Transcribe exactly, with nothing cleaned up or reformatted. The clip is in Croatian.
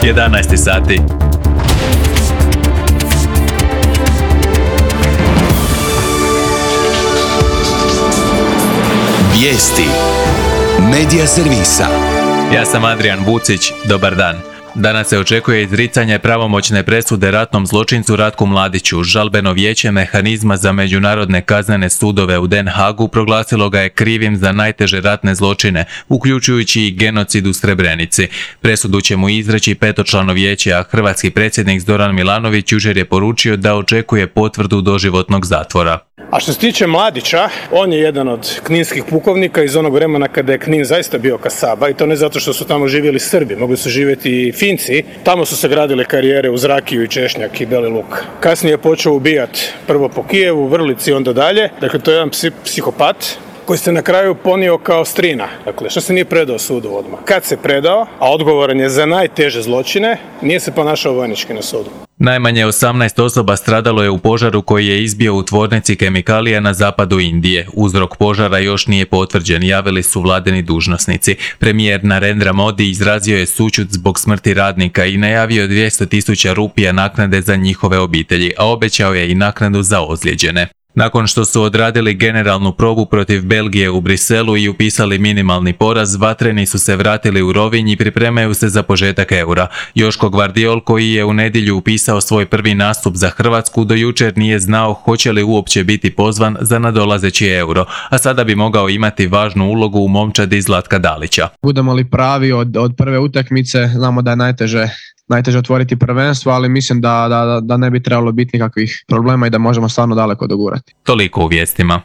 jedanaest sati. Vijesti Medija servisa. Ja sam Adrian Vucić, dobar dan. Danas se očekuje izricanje pravomoćne presude ratnom zločincu Ratku Mladiću. Žalbeno vijeće mehanizma za međunarodne kaznene sudove u Den Hagu proglasilo ga je krivim za najteže ratne zločine, uključujući i genocid u Srebrenici. Presudu će mu izreći petočlano vijeće, a hrvatski predsjednik Zoran Milanović jučer je poručio da očekuje potvrdu doživotnog zatvora. A što se tiče Mladića, on je jedan od kninskih pukovnika iz onog vremena kada je Knin zaista bio kasaba, i to ne zato što su tamo živjeli Srbi, mogli su živjeti i Finci. Tamo su se gradile karijere uz rakiju i češnjak i beli luk. Kasnije je počeo ubijati prvo po Kijevu, Vrlici, onda dalje. Dakle, to je jedan psi- psihopat koji se na kraju ponio kao strina. Dakle, što se nije predao sudu odmah. Kad se predao, a odgovoran je za najteže zločine, nije se ponašao vojnički na sudu. Najmanje osamnaest osoba stradalo je u požaru koji je izbio u tvornici kemikalija na zapadu Indije. Uzrok požara još nije potvrđen, javili su vladini dužnosnici. Premijer Narendra Modi izrazio je sućut zbog smrti radnika i najavio dvjesto tisuća rupija naknade za njihove obitelji, a obećao je i naknadu za ozlijeđene. Nakon što su odradili generalnu probu protiv Belgije u Briselu i upisali minimalni poraz, vatreni su se vratili u Rovinj i pripremaju se za početak eura. Joško Gvardiol, koji je u nedjelju upisao svoj prvi nastup za Hrvatsku, do jučer nije znao hoće li uopće biti pozvan za nadolazeći euro, a sada bi mogao imati važnu ulogu u momčadi Zlatka Dalića. Budemo li pravi od, od prve utakmice, znamo da je najteže najteže otvoriti prvenstvo, ali mislim da, da, da ne bi trebalo biti nikakvih problema i da možemo stvarno daleko dogurati. Toliko u vijestima.